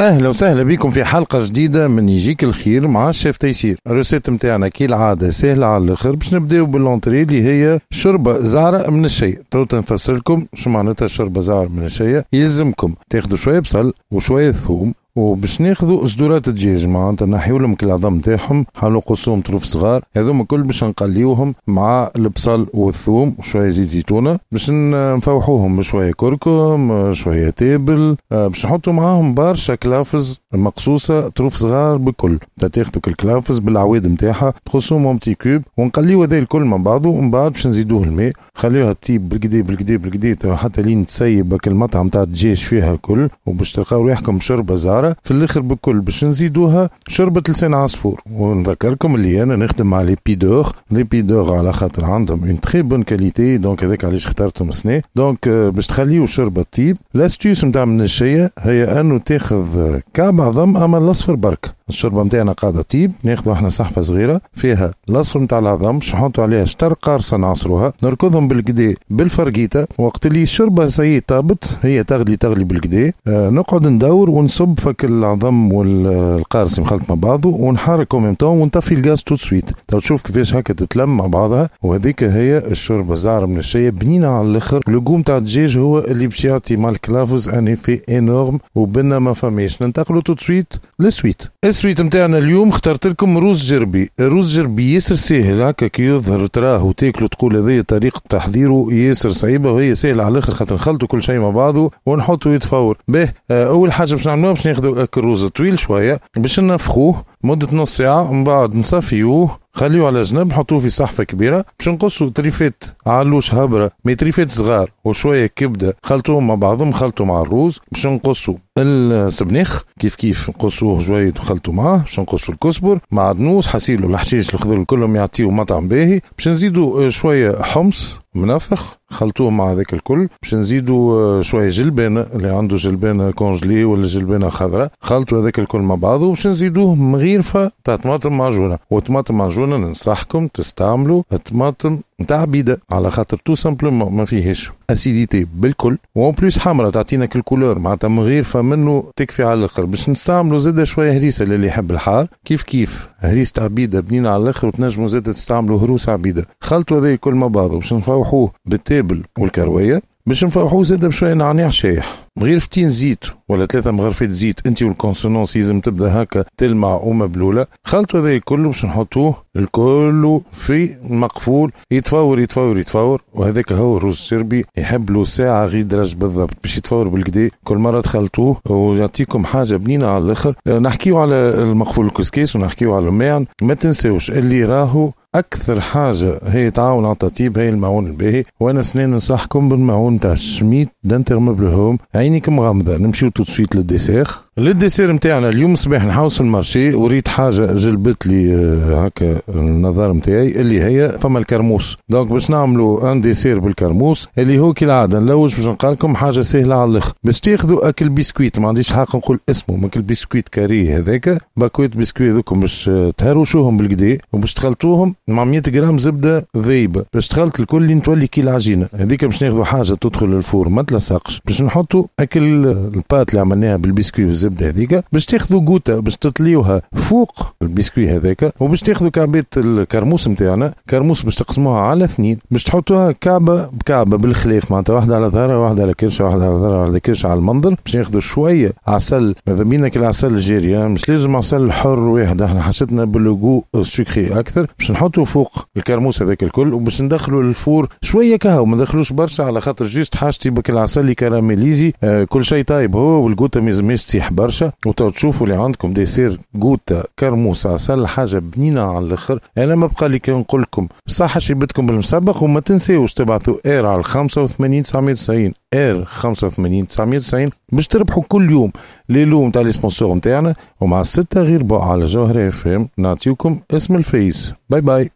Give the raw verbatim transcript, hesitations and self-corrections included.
اهلا وسهلا بكم في حلقة جديدة من يجيك الخير مع الشيف تيسير. ال recette نتاعنا كي العادة سهلة على الاخر. باش نبداو بال l'entrée اللي هي شوربة زعره من الشيء. تو نفسر لكم شو معناتها شوربة زعره من الشيء. يلزمكم تاخذوا شوية بصل وشوية ثوم، وباش ناخذوا صدورات الدجاج، معناتها نحيو لهم العظم تاعهم، حاولوا قصوهم طروف صغار، هذوما كل باش نقليوهم مع البصل والثوم وشوية زيت زيتونه، باش نفوحوهم بشوية كركم، شوية تابل، آه، باش نحطوا معاهم برشا كلافز مقصوصة طروف صغار بكل. تاخذوا الكلافز بالعواد نتاعها تقصوهم petits cubes ونقليو هذا الكل مع بعضه، ومن بعد باش نزيدوه الماء، خليوها تطيب بالقدا بالقدا بالقدا حتى لين تسيب المطعم تاع الدجاج فيها الكل، وباش تلقاو ريحكم شربه زعره في الاخر بكل. باش نزيدوها شربة لسان عصفور، ونذكركم اللي انا نخدم مع les Pieds d'Or، les Pieds d'Or على خاطر عندهم une très bonne qualité، donc هذاك علاش اخترتهم سنة. donc باش تخليو شربة طيب. l'astuce نتاع من الشيء هي انه تاخذ كعب عظم اما الاصفر برك. الشوربة نتاعنا قاعدة طيب، ناخذ احنا صحفه صغيرة فيها الاصفر نتاع العظم، باش نحطوا عليها شطر قارصه نعصروها، نركضهم بالقدا بالفرقيته. وقت اللي الشوربة ça y est طابت، هي تغلي تغلي بالقدا، آه نقعد ندور ونصب فك العظم والقارص مخلط مع بعضه ونحرك même temps ونطفي الغاز tout de suite. تو تشوف كيفاش هكا تتلم مع بعضها، وهذيك هي الشوربة زعره من الشيء بنينه على الاخر. le goût تاع الدجاج هو اللي باش يعطي مع الكلافز un effet énorme وبنا ما فماش. ننتقلوا tout de suite لل suite. ال suite نتاعنا اليوم اخترت لكم روز جربي. الروز جربي ياسر ساهل، هكا كي يظهر تراه وتاكلوا تقول هذه طريقه تحضيره ياسر صعيبه، وهي سهلة على الاخر خاطر نخلطوا كل شيء مع بعضه ونحطوا يتفور به. آه، اول حاجة باش نعملوها باش ناخذوا الروز طويل شوية، باش نفخوه مده نص ساعه، من بعد نصفيوه، خليه على جنب، نحطوه في صحفه كبيرة. باش نقصوا تريفات علوش هبره، mais تريفات صغار، وشوية كبده، خلطوهم مع بعضهم، خلطوا مع الروز. باش نقصوا السبنيخ كيف كيف، نقصوه شوية وخلطوا معاه. باش نقصوا الكزبر، معدنوس، حسيلو الحشيش الخضر كلهم يعطيو مطعم باهي. باش نزيدوا شوية حمص منفخ، خلطوه مع هذاك الكل. باش نزيدوا شوية جلبانه، اللي عنده جلبانه congelée ولا جلبانه خضراء، خلطوا هذاك الكل مع بعضه. باش نزيدوه مغيرفه تاع طماطم معجونه، وطماطم معجونه ننصحكم تستعملوا الطماطم نتاع عبيده على خاطر tout simplement ما فيهش acidité بالكل، و en plus حمراء تعطينا ال couleur، معناتها مغيرفه منه تكفي على الاخر. باش نستعملوا زاده شوية هريسه للي يحب الحار، كيف كيف هريسه عبيده بنينه على الاخر، وتنجموا زاده تستعملوا هروس عبيده. خلطوا هذا الكل مع بعضه. باش نفوحوه بالتابل والكرويه، باش نفوحوه زاده بشوية نعناع شايح، مغيرفتين زيت ولا ثلاثة مغرفات زيت، انت وال contenance لازم تبدا هكا تلمع ومبلوله. خلطوا هذا الكل باش نحطوه الكل في المقفول يتفور يتفور يتفور، وهذاك هو الرز الجربي، يحب له ساعة غير درج بالضبط باش يتفور بالقدا. كل مرة تخلطوه ويعطيكم حاجة بنينه على الاخر. نحكيو على المقفول الكسكيس ونحكيو على الماعن، ما تنساوش اللي راهو اكثر حاجة هي تعاون على التطيب هي المعون الباهي، وانا سنين ننصحكم بالمعون تاع Schmitt d'Intermeuble Home، عينيك مغمضه. نمشيو tout de suite لل dessert. لل dessert نتاعنا اليوم صباح نحوس ال marché وريت حاجة جلبت لي آه، هكا النظر نتاعي اللي هي فما الكرموس. donc باش نعملوا un dessert بالكرموس اللي هو كالعادة نلوج باش نلقى لكم حاجة سهلة على الاخر. باش تاخذوا اك البسكويت، ما عنديش حق نقول اسمه، ماك ال biscuit carré هذاك، باكويت بسكويت هذوكم باش تهروشوهم بالقدا وباش تخلطوهم مع مية غرام زبدة ذايبه، باش تخلط الكل لين تولي كي العجينة هذيك. باش ناخذوا حاجة تدخل ال four ما تلصقش، باش نحطوا اك ال pâte اللي عملناها بالبسكويت والزبده هذيك، باش تاخذوا goutte باش تطليوها فوق البسكويت هذاك، وباش تاخذوا كعبات الكرموس نتاعنا، كرموس باش تقسموها على اثنين، باش تحطوها كعبه بكعبه بالخلاف، معناتها واحدة على ظهرها واحدة على كرشه، واحدة على ظهرها واحدة كرشه على المنظر. باش ناخذوا شوية عسل، ماذا بينا العسل الجاري، مش لازم عسل حر واحد، احنا حاجتنا بال goût sucré اكثر. باش نحطوا فوق الكرموس هذاك الكل وباش ندخلوا لل four شوية كهو، ما ندخلوش برشا على خاطر juste حاجتي بك العسل caramélisé. آه كل شيء طايب هو وال goutte ما يلزمش تسيح برشا. وتو تشوفوا اللي عندكم dessert goutte كرموس عسل، حاجة بنينه على الاخر. انا ما بقى لي كان نقول لكم صحة شريبتكم بالمسبق، وما تنساوش تبعثوا R على خمسة وثمانين تسعمية وتسعين، R خمسة وثمانين تسعمية وتسعين، باش تربحوا كل يوم les lots نتاع les sponsors نتاعنا. ومع الستة غير ربع على جوهرة اف ام نعطيكم اسم الفايز. bye bye.